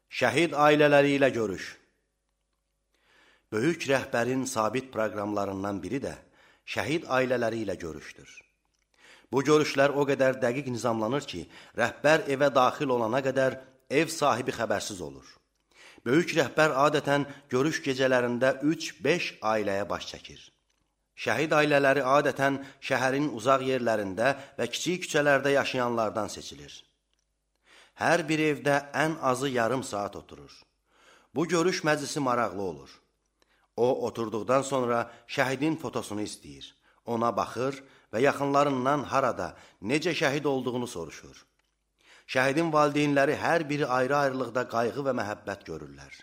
Şəhid ailələri ilə görüş. Böyük rəhbərin sabit proqramlarından biri də şəhid ailələri ilə görüşdür. Bu görüşlər o qədər dəqiq nizamlanır ki, rəhbər evə daxil olana qədər ev sahibi xəbərsiz olur. Böyük rəhbər adətən görüş gecələrində 3-5 ailəyə baş çəkir. Şəhid ailələri adətən şəhərin uzaq yerlərində və kiçik küçələrdə yaşayanlardan seçilir. Hər bir evdə ən azı yarım saat oturur. Bu görüş məclisi maraqlı olur. O, oturduqdan sonra şəhidin fotosunu istəyir. Ona baxır və yaxınlarından harada, necə şəhid olduğunu soruşur. Şəhidin valideynləri hər biri ayrı-ayrılıqda qayğı və məhəbbət görürlər.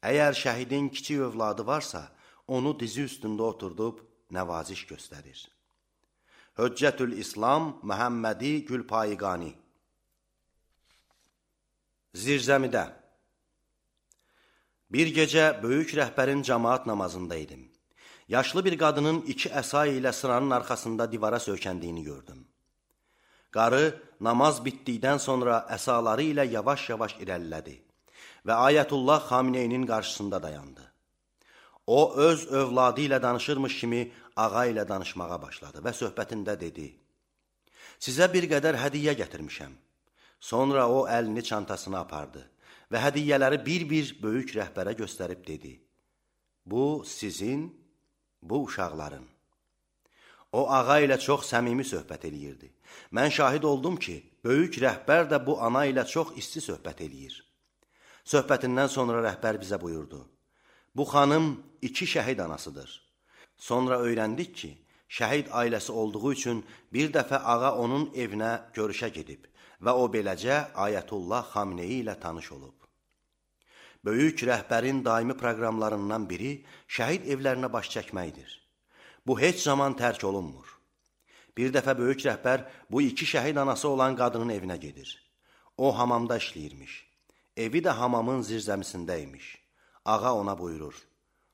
Əgər şəhidin kiçik övladı varsa, onu dizi üstündə oturdub nəvaziş göstərir. Hüccətül İslam Məhəmmədi Gülpayiqani. Zirzəmidə. Bir gecə böyük rəhbərin cəmaat namazında idim. Yaşlı bir qadının 2 əsa ilə sıranın arxasında divara söykəndiyini gördüm. Qarı namaz bitdikdən sonra əsaları ilə yavaş-yavaş irəlilədi və Ayətullah Xameneyinin qarşısında dayandı. O, öz övladı ilə danışırmış kimi ağa ilə danışmağa başladı və söhbətində dedi: "Sizə bir qədər hədiyyə gətirmişəm." Sonra o əlini çantasına apardı və hədiyyələri bir-bir böyük rəhbərə göstərib dedi: "Bu sizin, bu uşaqların." O ağa ilə çox səmimi söhbət eləyirdi. Mən şahid oldum ki, böyük rəhbər də bu ana ilə çox isti söhbət eləyir. Söhbətindən sonra rəhbər bizə buyurdu: "Bu xanım 2 şəhid anasıdır." Sonra öyrəndik ki, şəhid ailəsi olduğu üçün bir dəfə ağa onun evinə görüşə gedib və o beləcə Ayətullah Xameneyi ilə tanış olub. Böyük rəhbərin daimi proqramlarından biri şəhid evlərinə baş çəkməkdir. Bu heç zaman tərk olunmur. Bir dəfə böyük rəhbər bu 2 şəhid anası olan qadının evinə gedir. O hamamda işləyirmiş. Evi də hamamın zirzəmisindəymiş. Ağa ona buyurur: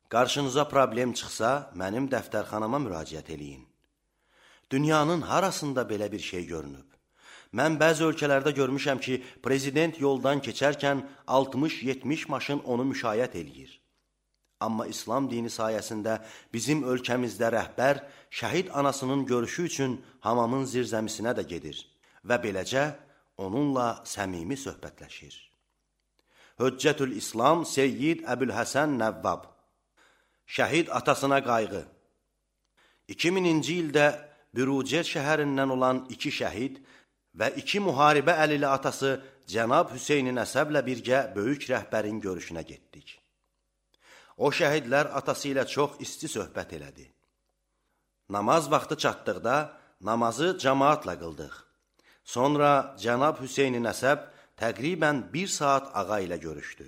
"Qarşınıza problem çıxsa, mənim dəftərxanama müraciət eləyin." Dünyanın harasında belə bir şey görünüb? Mən bəzi ölkələrdə görmüşəm ki, prezident yoldan keçərkən 60-70 maşın onu müşayiət eləyir. Amma İslam dini sayəsində bizim ölkəmizdə rəhbər şəhid anasının görüşü üçün hamamın zirzəmisinə də gedir və beləcə onunla səmimi söhbətləşir. Hüccətül İslam Seyyid Əbülhəsən Nəvvab. Şəhid atasına qayğı. 2000-ci ildə Bürucer şəhərindən olan 2 şəhid və 2 müharibə əlili atası Cənab Hüseyni Nəsəblə birgə böyük rəhbərin görüşünə getdik. O şəhidlər atası ilə çox isti söhbət elədi. Namaz vaxtı çatdıqda namazı cəmaatla qıldıq. Sonra Cənab Hüseyni Nəsəb təqribən 1 saat ağa ilə görüşdü.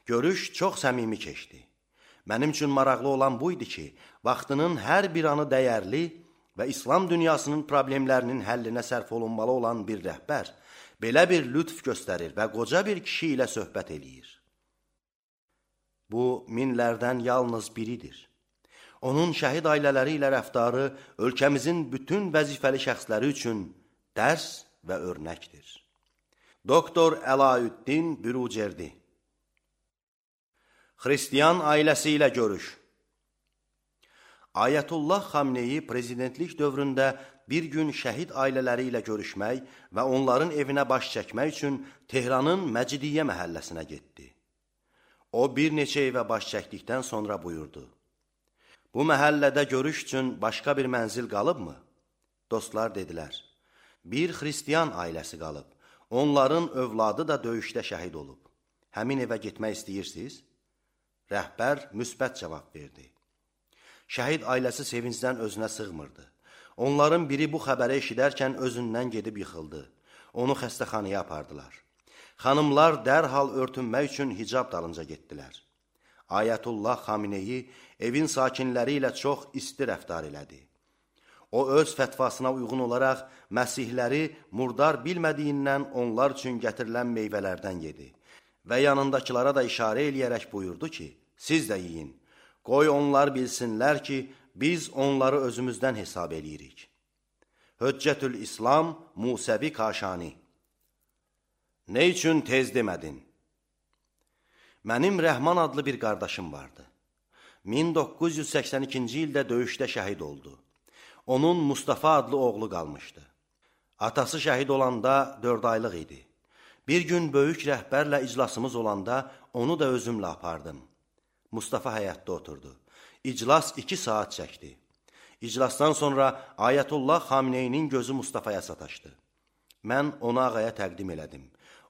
Görüş çox səmimi keçdi. Mənim üçün maraqlı olan bu idi ki, vaxtının hər bir anı dəyərli və İslam dünyasının problemlərinin həllinə sərf olunmalı olan bir rəhbər belə bir lütf göstərir və qoca bir kişi ilə söhbət eləyir. Bu, minlərdən yalnız biridir. Onun şəhid ailələri ilə rəftarı ölkəmizin bütün vəzifəli şəxsləri üçün dərs və örnəkdir. Doktor Əlaüddin Bürucerdi. Xristiyan ailəsi ilə görüş. Ayətullah Xameneyi prezidentlik dövründə bir gün şəhid ailələri ilə görüşmək və onların evinə baş çəkmək üçün Tehranın Məcidiyyə məhəlləsinə getdi. O bir neçə evə baş çəkdikdən sonra buyurdu: "Bu məhəllədə görüş üçün başqa bir mənzil qalıbmı?" Dostlar dedilər: "Bir xristiyan ailəsi qalıb. Onların övladı da döyüşdə şəhid olub. Həmin evə getmək istəyirsiniz?" Rəhbər müsbət cavab verdi. Şəhid ailəsi sevincdən özünə sığmırdı. Onların biri bu xəbəri eşidərkən özündən gedib yıxıldı. Onu xəstəxanaya apardılar. Xanımlar dərhal örtünmək üçün hicab dalınca getdilər. Ayətullah Xameneyi evin sakinləri ilə çox isti rəftar elədi. O öz fətvasına uyğun olaraq məsihləri murdar bilmədiyindən onlar üçün gətirilən meyvələrdən yedi və yanındakılara da işarə eləyərək buyurdu ki, "Siz də yiyin. Qoy onlar bilsinlər ki, biz onları özümüzdən hesab eləyirik." Hüccətül İslam Musəvi Kaşani. "Nə üçün tez demədin?" Mənim Rəhman adlı bir qardaşım vardı. 1982-ci ildə döyüşdə şəhid oldu. Onun Mustafa adlı oğlu qalmışdı. Atası şəhid olanda 4 aylıq idi. Bir gün böyük rəhbərlə iclasımız olanda onu da özümlə apardım. Mustafa həyətdə oturdu. İclas 2 saat çəkdi. İclasdan sonra Ayətullah Xameneyinin gözü Mustafaya sataşdı. Mən onu ağaya təqdim elədim.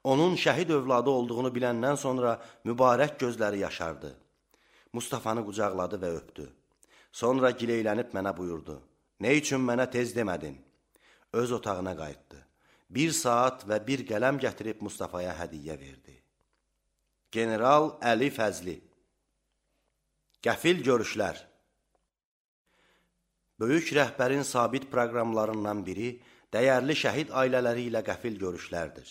Onun şəhid övladı olduğunu biləndən sonra mübarək gözləri yaşardı. Mustafanı qucaqladı və öpdü. Sonra gileylənib mənə buyurdu. Nə üçün mənə tez demədin? Öz otağına qayıtdı. 1 saat və bir qələm gətirib Mustafaya hədiyyə verdi. General Əli Fəzli. Qəfil görüşlər. Böyük rəhbərin sabit proqramlarından biri dəyərli şəhid ailələri ilə qəfil görüşlərdir.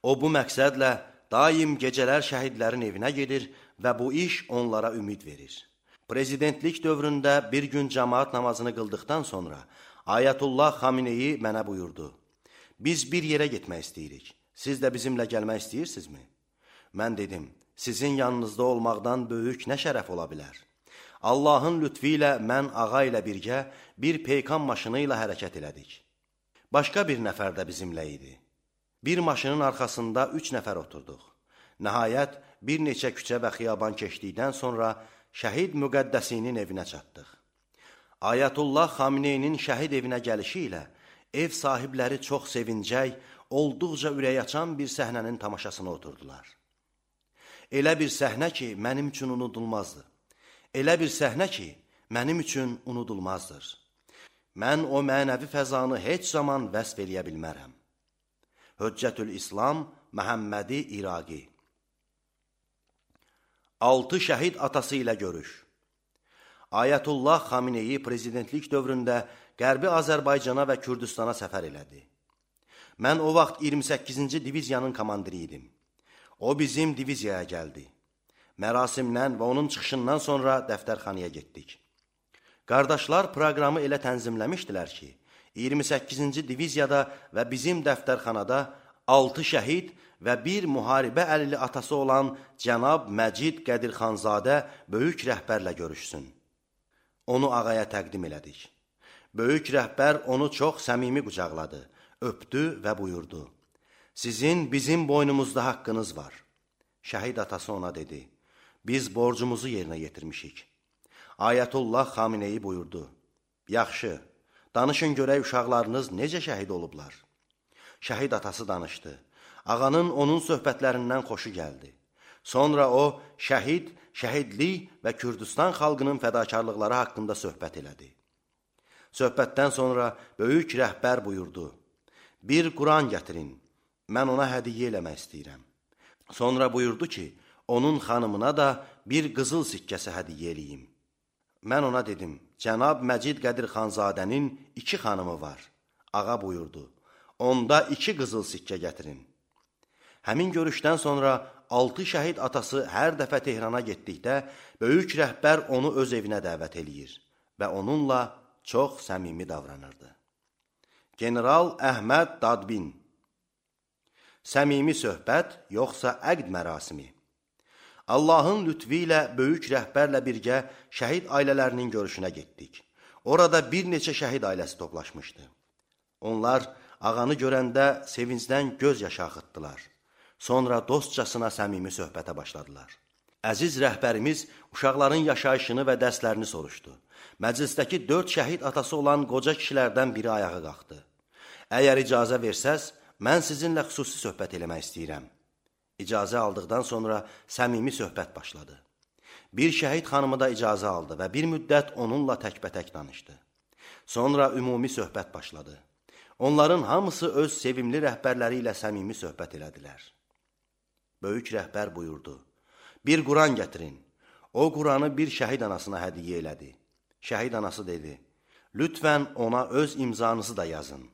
O bu məqsədlə daim gecələr şəhidlərin evinə gedir və bu iş onlara ümid verir. Prezidentlik dövründə bir gün cəmaat namazını qıldıqdan sonra Ayətullah Xameneyi mənə buyurdu. Biz bir yerə getmək istəyirik. Siz də bizimlə gəlmək istəyirsinizmi? Mən dedim, sizin yanınızda olmaqdan böyük nə şərəf ola bilər? Allahın lütfi ilə mən ağa ilə birgə bir peykan maşını ilə hərəkət elədik. Başqa bir nəfər də bizimlə idi. Bir maşının arxasında 3 nəfər oturduq. Nəhayət, bir neçə küçə və xiyaban keçdikdən sonra şəhid müqəddəsinin evinə çatdıq. Ayətullah Xameneyinin şəhid evinə gəlişi ilə ev sahibləri çox sevincək, olduqca ürək açan bir səhnənin tamaşasına oturdular. Elə bir səhnə ki, mənim üçün unudulmazdı. Elə bir səhnə ki, mənim üçün unudulmazdır. Mən o mənəvi fəzanı heç zaman vəsf eləyə bilmərəm. Hüccətül İslam Məhəmmədi İraqi. 6 şəhid atası ilə görüş. Ayətullah Xameneyi prezidentlik dövründə Qərbi Azərbaycana və Kürdistana səfər elədi. Mən o vaxt 28-ci diviziyanın komandiri idim. O bizim diviziyaya gəldi. Mərasimdən və onun çıxışından sonra dəftərxanaya getdik. Qardaşlar proqramı elə tənzimləmişdilər ki, 28-ci diviziyada və bizim dəftərxanada 6 şəhid və bir müharibə əlili atası olan cənab Məcid Qədirxanzadə böyük rəhbərlə görüşsün. Onu ağaya təqdim elədik. Böyük rəhbər onu çox səmimi qucaqladı, öpdü və buyurdu. Sizin bizim boynumuzda haqqınız var. Şəhid atası ona dedi. Biz borcumuzu yerinə yetirmişik. Ayətullah Xameneyi buyurdu. Yaxşı, danışın görək uşaqlarınız necə şəhid olublar. Şəhid atası danışdı. Ağanın onun söhbətlərindən xoşu gəldi. Sonra o, şəhid, şəhidlik və Kürdistan xalqının fədakarlıqları haqqında söhbət elədi. Söhbətdən sonra böyük rəhbər buyurdu. Bir Quran gətirin, mən ona hədiyyə eləmək istəyirəm. Sonra buyurdu ki, onun xanımına da bir qızıl sikkəsi hədiyyə eləyim. Mən ona dedim, cənab Məcid Qədirxanzadənin 2 xanımı var. Ağa buyurdu, onda 2 qızıl sikkə gətirin. Həmin görüşdən sonra 6 şəhid atası hər dəfə Tehrana getdikdə böyük rəhbər onu öz evinə dəvət eləyir və onunla çox səmimi davranırdı. General Əhməd Dadbin. Səmimi söhbət yoxsa əqd mərasimi? Allahın lütfi ilə böyük rəhbərlə birgə şəhid ailələrinin görüşünə getdik. Orada bir neçə şəhid ailəsi toplaşmışdı. Onlar ağanı görəndə sevincdən göz yaşı axıtdılar. Sonra dostcasına səmimi söhbətə başladılar. Əziz rəhbərimiz uşaqların yaşayışını və dərslərini soruşdu. Məclisdəki 4 şəhid atası olan qoca kişilərdən biri ayağa qalxdı. Əgər icazə versəz, mən sizinlə xüsusi söhbət eləmək istəyirəm. İcazə aldıqdan sonra səmimi söhbət başladı. Bir şəhid xanımı da icazə aldı və bir müddət onunla təkbətək danışdı. Sonra ümumi söhbət başladı. Onların hamısı öz sevimli rəhbərləri ilə səmimi söhbət elədilər. Böyük rəhbər buyurdu. Bir Quran gətirin. O Quranı bir şəhid anasına hədiyyə elədi. Şəhid anası dedi, lütfən ona öz imzanızı da yazın.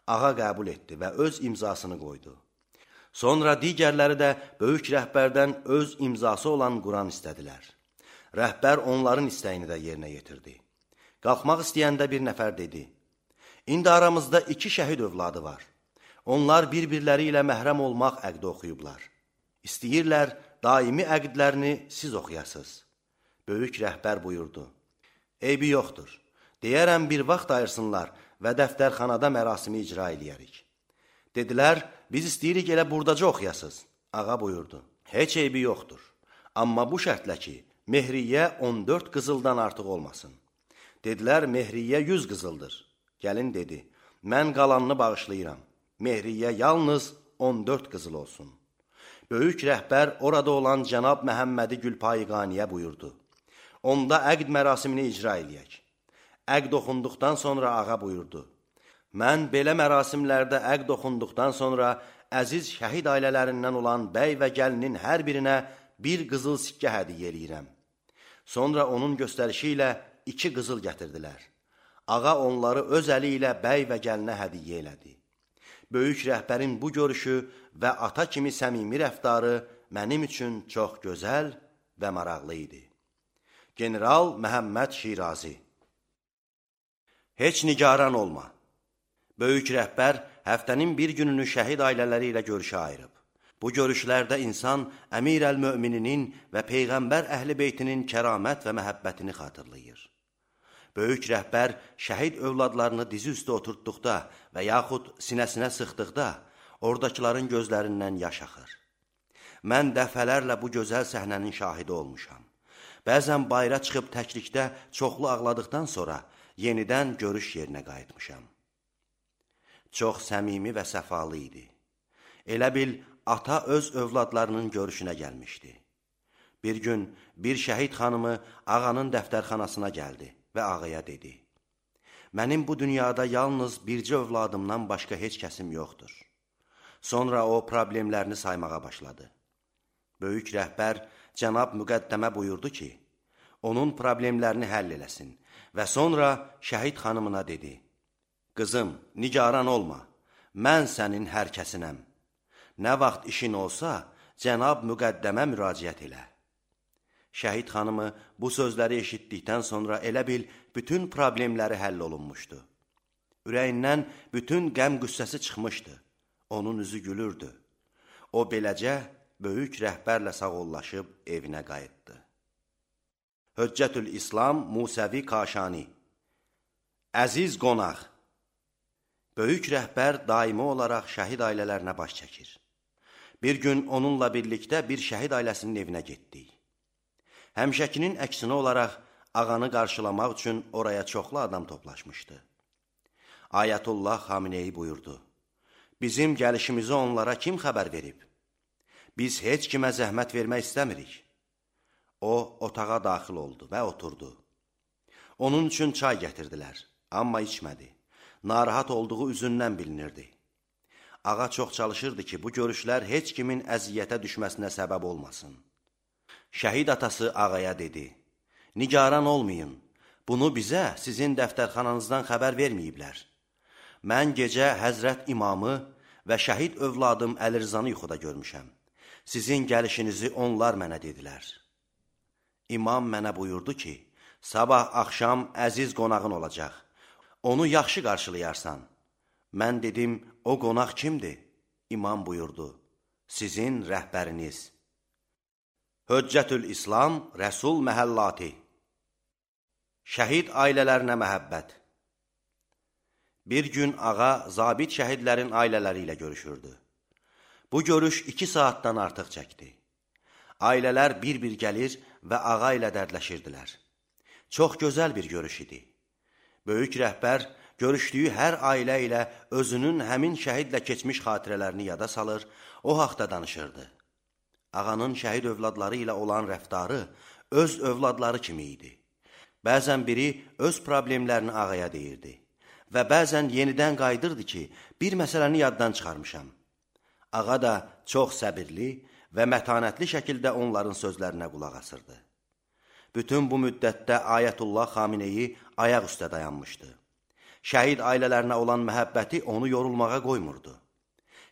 Ağa qəbul etdi və öz imzasını qoydu. Sonra digərləri də böyük rəhbərdən öz imzası olan Quran istədilər. Rəhbər onların istəyini də yerinə yetirdi. Qalxmaq istəyəndə bir nəfər dedi, İndi aramızda 2 şəhid övladı var. Onlar bir-birləri ilə məhrəm olmaq əqdi oxuyublar. İstəyirlər daimi əqdlərini siz oxuyasınız. Böyük rəhbər buyurdu. Eybi yoxdur. Deyərəm bir vaxt ayırsınlar və dəftərxanada mərasimi icra eləyərik. Dedilər, biz istəyirik elə buradaca oxuyasınız. Ağa buyurdu. Heç eybi yoxdur. Amma bu şərtlə ki, mehriyyə 14 qızıldan artıq olmasın. Dedilər, mehriyyə 100 qızıldır. Gəlin dedi, mən qalanını bağışlayıram. Mehriyyə yalnız 14 qızıl olsun. Böyük rəhbər orada olan cənab Məhəmmədi Gülpayıqaniyə buyurdu. Onda əqd mərasimini icra eləyək. Əqd oxunduqdan sonra ağa buyurdu. Mən belə mərasimlərdə əqd oxunduqdan sonra əziz şəhid ailələrindən olan bəy və gəlinin hər birinə bir qızıl sikkə hədiyyə eləyirəm. Sonra onun göstərişi ilə 2 qızıl gətirdilər. Ağa onları öz əli ilə bəy və gəlinə hədiyyə elədi. Böyük rəhbərin bu görüşü və ata kimi səmimi rəftarı mənim üçün çox gözəl və maraqlı idi. General Məhəmməd Şirazi. Heç nigaran olma. Böyük rəhbər həftənin bir gününü şəhid ailələri ilə görüşə ayırıb. Bu görüşlərdə insan Əmir əl-Mömininin və Peyğəmbər əhl-i beytinin kəramət və məhəbbətini xatırlayır. Böyük rəhbər şəhid övladlarını dizi üstə oturtduqda və yaxud sinəsinə sıxdıqda oradakıların gözlərindən yaş axır. Mən dəfələrlə bu gözəl səhnənin şahidi olmuşam. Bəzən bayıra çıxıb təklikdə çoxlu ağladıqdan sonra yenidən görüş yerinə qayıtmışam. Çox səmimi və səfalı idi. Elə bil, ata öz övladlarının görüşünə gəlmişdi. Bir gün bir şəhid xanımı ağanın dəftərxanasına gəldi və ağaya dedi. Mənim bu dünyada yalnız bircə övladımdan başqa heç kəsim yoxdur. Sonra o problemlərini saymağa başladı. Böyük rəhbər cənab müqəddəmə buyurdu ki, onun problemlərini həll eləsin və sonra şəhid xanımına dedi. Qızım, nigaran olma, mən sənin hər kəsinəm. Nə vaxt işin olsa, cənab müqəddəmə müraciət elə. Şəhid xanımı bu sözləri eşitdikdən sonra elə bil, bütün problemləri həll olunmuşdu. Ürəyindən bütün qəm qüssəsi çıxmışdı. Onun üzü gülürdü. O beləcə böyük rəhbərlə sağollaşıb evinə qayıtdı. Höccətül İslam Musəvi Kaşani. Əziz qonaq. Böyük rəhbər daimi olaraq şəhid ailələrinə baş çəkir. Bir gün onunla birlikdə bir şəhid ailəsinin evinə getdik. Həmişəkinin əksinə olaraq ağanı qarşılamaq üçün oraya çoxlu adam toplaşmışdı. Ayətullah Xameneyi buyurdu. Bizim gəlişimizi onlara kim xəbər verib? Biz heç kimə zəhmət vermək istəmirik. O, otağa daxil oldu və oturdu. Onun üçün çay gətirdilər, amma içmədi. Narahat olduğu üzündən bilinirdi. Ağa çox çalışırdı ki, bu görüşlər heç kimin əziyyətə düşməsinə səbəb olmasın. Şəhid atası ağaya dedi, nigaran olmayın, bunu bizə sizin dəftərxananızdan xəbər verməyiblər. Mən gecə Həzrət İmamı və şəhid övladım Əlirzanı yuxuda görmüşəm. Sizin gəlişinizi onlar mənə dedilər. İmam mənə buyurdu ki, sabah axşam əziz qonağın olacaq. Onu yaxşı qarşılayarsan. Mən dedim, o qonaq kimdir? İmam buyurdu, sizin rəhbəriniz. Höccətül İslam Rəsul Məhəllati. Şəhid ailələrinə məhəbbət. Bir gün ağa zabit şəhidlərin ailələri ilə görüşürdü. Bu görüş 2 saatdan artıq çəkdi. Ailələr bir-bir gəlir və ağa ilə dərdləşirdilər. Çox gözəl bir görüş idi. Böyük rəhbər görüşdüyü hər ailə ilə özünün həmin şəhidlə keçmiş xatirələrini yada salır, o haqda danışırdı. Ağanın şəhid övladları ilə olan rəftarı öz övladları kimi idi. Bəzən biri öz problemlərini ağaya deyirdi və bəzən yenidən qayıdırdı ki, bir məsələni yaddan çıxarmışam. Ağa da çox səbirli və mətanətli şəkildə onların sözlərinə qulaq asırdı. Bütün bu müddətdə Ayətullah Xameneyi ayaq üstə dayanmışdı. Şəhid ailələrinə olan məhəbbəti onu yorulmağa qoymurdu.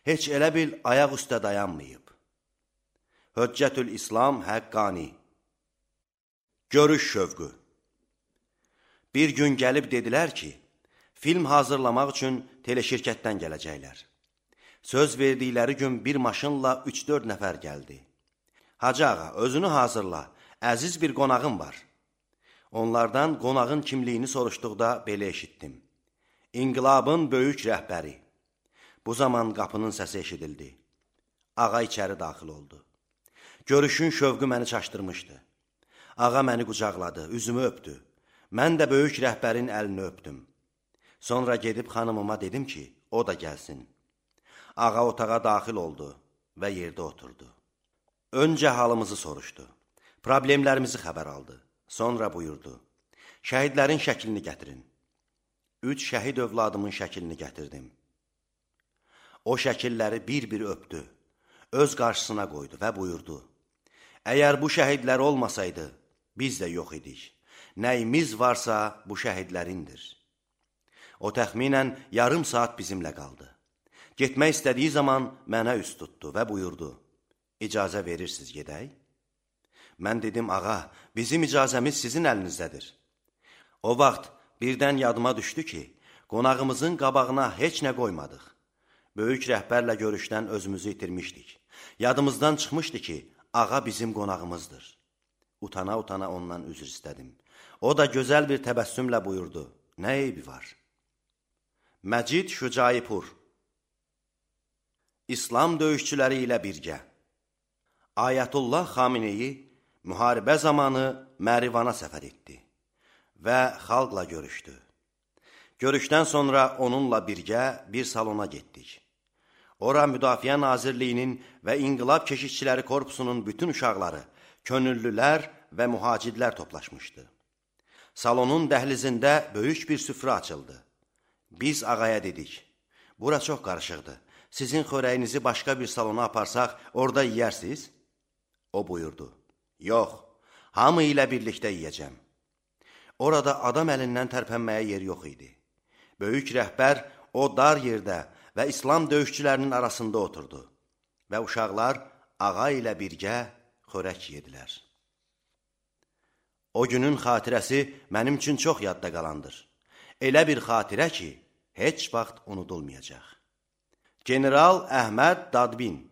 Heç elə bil ayaq üstə dayanmayıb. Höccətül İslam Həqqani. Görüş şövqü. Bir gün gəlib dedilər ki, film hazırlamaq üçün teleşirkətdən gələcəklər. Söz verdikləri gün bir maşınla 3-4 nəfər gəldi. Hacı ağa, özünü hazırla, əziz bir qonağın var. Onlardan qonağın kimliyini soruşduqda belə eşitdim. İnqilabın böyük rəhbəri. Bu zaman qapının səsi eşidildi. Ağa içəri daxil oldu. Görüşün şövqü məni çaşdırmışdı. Ağa məni qucaqladı, üzümü öpdü. Mən də böyük rəhbərin əlini öpdüm. Sonra gedib xanımıma dedim ki, o da gəlsin. Ağa otağa daxil oldu və yerdə oturdu. Öncə halımızı soruşdu. Problemlərimizi xəbər aldı. Sonra buyurdu. Şəhidlərin şəklini gətirin. 3 şəhid övladımın şəklini gətirdim. O şəkilləri bir-bir öpdü. Öz qarşısına qoydu və buyurdu. Əgər bu şəhidlər olmasaydı, biz də yox idik. Nəyimiz varsa bu şəhidlərindir. O təxminən yarım saat bizimlə qaldı. Getmək istədiyi zaman mənə üst tutdu və buyurdu. İcazə verirsiniz gedək? Mən dedim, ağa, bizim icazəmiz sizin əlinizdədir. O vaxt birdən yadıma düşdü ki, qonağımızın qabağına heç nə qoymadıq. Böyük rəhbərlə görüşdən özümüzü itirmişdik. Yadımızdan çıxmışdı ki, ağa bizim qonağımızdır. Utana-utana ondan üzr istədim. O da gözəl bir təbəssümlə buyurdu. Nə eybi var? Məcid Şücaipur. İslam döyüşçüləri ilə birgə. Ayətullah Xameneyi müharibə zamanı Mərivana səfər etdi və xalqla görüşdü. Görüşdən sonra onunla birgə bir salona getdik. Ora Müdafiə Nazirliyinin və İnqilab Keşikçiləri Korpusunun bütün uşaqları, könüllülər və mühacidlər toplaşmışdı. Salonun dəhlizində böyük bir süfrə açıldı. Biz ağaya dedik, bura çox qarışıqdır. Sizin xörəyinizi başqa bir salona aparsaq, orada yeyərsiniz? O buyurdu, yox, hamı ilə birlikdə yeyəcəm. Orada adam əlindən tərpənməyə yer yox idi. Böyük rəhbər o dar yerdə və İslam döyüşçülərinin arasında oturdu və uşaqlar ağa ilə birgə xörək yedilər. O günün xatirəsi mənim üçün çox yadda qalandır. Elə bir xatirə ki, heç vaxt unudulmayacaq. General Əhməd Dadbin.